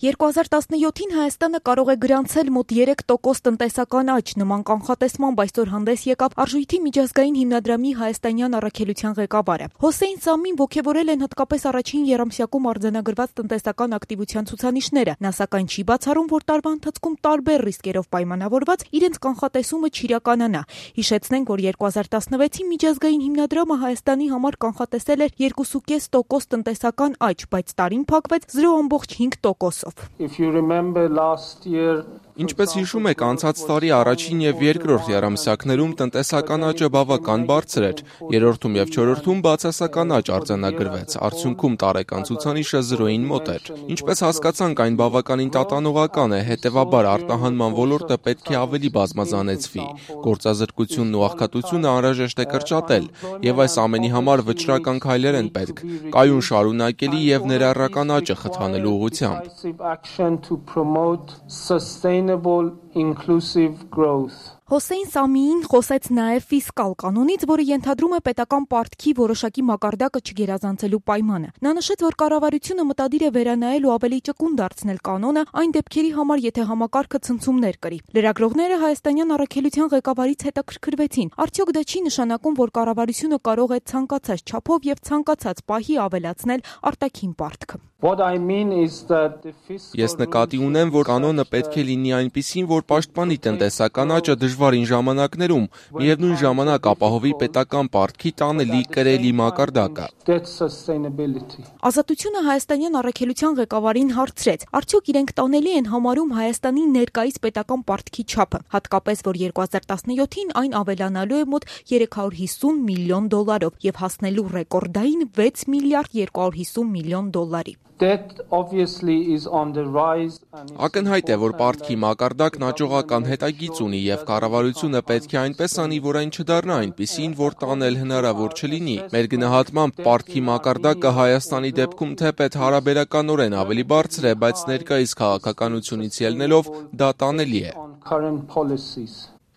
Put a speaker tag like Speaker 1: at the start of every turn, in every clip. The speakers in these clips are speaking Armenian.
Speaker 1: 2017-ին Հայաստանը կարող է գրանցել մոտ 3% տնտեսական աճ, նման կանխատեսմամբ այսօր հանդես եկավ Արժույթի միջազգային հիմնադրամի հայաստանյան առաքելության ղեկավարը։ Հոսեյն Սամին ոգևորել են հատկապես առաջին եռամսյակում արձանագրված տնտեսական ակտիվության ցուցանիշները։ Նա սակայն չի բացառում, որ տարվա ընթացքում տարբեր ռիսկերով պայմանավորված իրենց կանխատեսումը չիրականանա։ Հիշեցնենք, որ 2016-ին միջազգային հիմնադրամը Հայաստանի համար կանխատեսել էր 2.5% տնտեսական աճ, բայց տարին փակվեց 0.5%-ով։
Speaker 2: Ինչպես հիշում եք, անցած տարի առաջին և երկրորդ եռամսյակներում տնտեսական աճը բավական բարձր էր, երրորդում և չորրորդում բացասական աճ արձանագրվեց, արդյունքում տարեկան ցուցանիշը 0-ին մոտ էր։ Ինչպես հասկացանք, այն բավականին տատանողական է, հետևաբար արտահանման ոլորտը պետք է ավելի բազմազանեցվի, գործազրկությունն ու աղքատությունը անհրաժեշտ է կրճատել, և այս ամենի համար վճռական քայլեր են պետք, կայուն շարունակելի և ներառական աճը խթանելու ուղղությամբ։
Speaker 1: Հոսեյն Սամիին խոսեց նաև ֆիսկալ կանոնից, որը ենթադրում է պետական պարտքի որոշակի մակարդակը չգերազանցելու պայմանը։ Նա նշեց, որ կառավարությունը մտադիր է վերանայել ու ավելի ճկուն դարձնել կանոնը այն դեպքերի համար, եթե համակարգը ցնցումներ կրի։ Լրագրողները հայաստանյան առաքելության ղեկավարից հետաքրքրվեցին. արդյոք դա չի նշանակում, որ կառավարությունը կարող է ցանկացած չափով և ցանկացած պահի ավելացնել արտաքին պարտքը։
Speaker 2: Ես նկատի ունեմ, որ կանոնը պետք է լինի այնպիսին, որ պաշտպանի տնտեսական աճը դժվարին ժամանակներում, միևնույն ժամանակ ապահովի պետական պարտքի տանելի կրելի մակարդակը։
Speaker 1: Ազատությունը հայաստանյան առաքելության ղեկավարին հարցրեց. արդյոք իրենք տանելի են համարում Հայաստանի ներկայիս պետական պարտքի չափը, հատկապես որ 2017-ին այն ավելանալու է մոտ 350 միլիոն դոլարով և հասնելու ռեկորդային 6 միլիարդ 250 միլիոն դոլարի։
Speaker 2: Ակնհայտ է, որ պարտքի մակարդակն աճողական հետագիծ ունի և կառավարությունը պետք է այնպես անի, որ այն չդառնա այնպիսին, որ տանել հնարավոր չլինի։ Մեր գնահատմամբ պարտքի մակարդակը Հայաստանի դեպքում թեպետ հարաբերականորեն ավելի բարձր է, բայց ներկայիս քաղաքականությունից ելնելով դա տանելի է։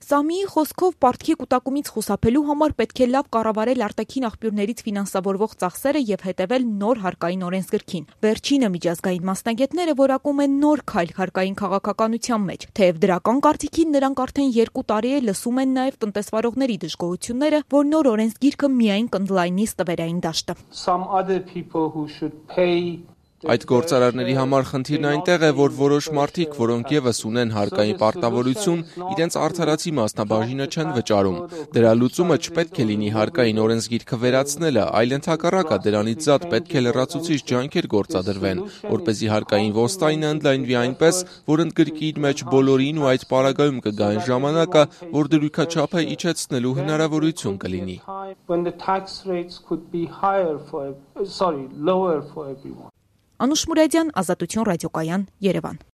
Speaker 1: Սամիի խոսքով պարտքի կուտակումից խուսափելու համար պետք է լավ կառավարել արտաքին աղբյուրներից ֆինանսավորվող ծախսերը և հետևել նոր հարկային օրենսգրքին։ Վերջինը միջազգային մասնագետները որակում են նոր քայլ հարկային քաղաքականության մեջ, թեև դրական կարծիքին նրանք արդեն 2 տարի է լսում են նաև տնտեսվարողների դժգոհությունները, որ նոր օրենսգիրքը միայն կընդլայնի ստվերային դաշտը։
Speaker 2: Այդ գործարարների համար խնդիրն այնտեղ է, որ որոշ մարդիկ, որոնք ևս ունեն հարկային պարտավորություն, իրենց արդարացի մասնաբաժինը չեն վճարում։ Դրա լուծումը չպետք է լինի հարկային օրենսգիրքը վերացնելը, այլ ընդհակառակը դրանից զատ պետք է լրացուցիչ ջանքեր գործադրվեն, որպեսզի հարկային ոստայնը ընդլայնվի այնպես, որ ընդգրկի իր մեջ բոլորին ու այդ պարագայում կգա այն ժամանակը, որ դրույքաչափը իջեցնելու հնարավորություն կլինի։
Speaker 1: Անուշ Մուրադյան, Ազատություն ռադիոկայան, Երևան։